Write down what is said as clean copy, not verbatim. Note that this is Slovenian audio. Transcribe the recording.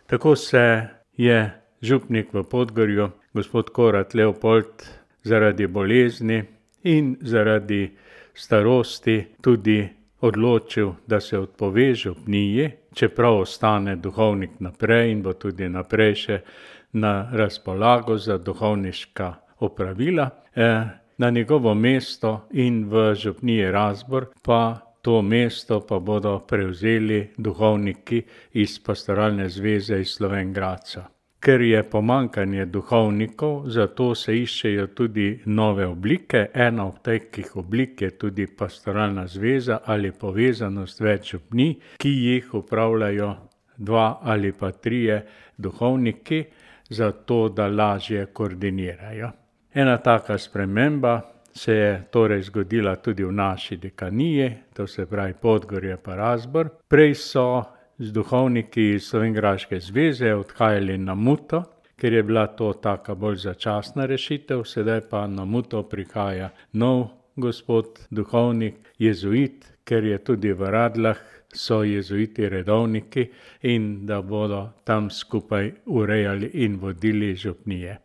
Tako se je župnik v Podgorju, gospod Korat Leopold, zaradi bolezni in zaradi starosti tudi odločil, da se odpove župniji, čeprav ostane duhovnik naprej in bo tudi naprej še na razpolago za duhovniška opravila. Na njegovo mesto in v župniji Razbor pa to mesto pa bodo prevzeli duhovniki iz Pastoralne zveze iz Slovenj Gradca. Ker je pomanjkanje duhovnikov, zato se iščejo tudi nove oblike. Ena od takih oblik je tudi Pastoralna zveza ali povezanost več župnij, ki jih upravljajo 2 ali pa 3 duhovniki, zato da lažje koordinirajo. Ena taka sprememba se je torej zgodila tudi v naši dekaniji, to se pravi Podgorje pa Razbor. Prej so z duhovniki iz Slovenjgraške zveze odhajali na Muto, ker je bila to taka bolj začasna rešitev, sedaj pa na Muto prihaja nov gospod duhovnik, jezuit, ker je tudi v Radljah so jezuiti redovniki in da bodo tam skupaj urejali in vodili župnije.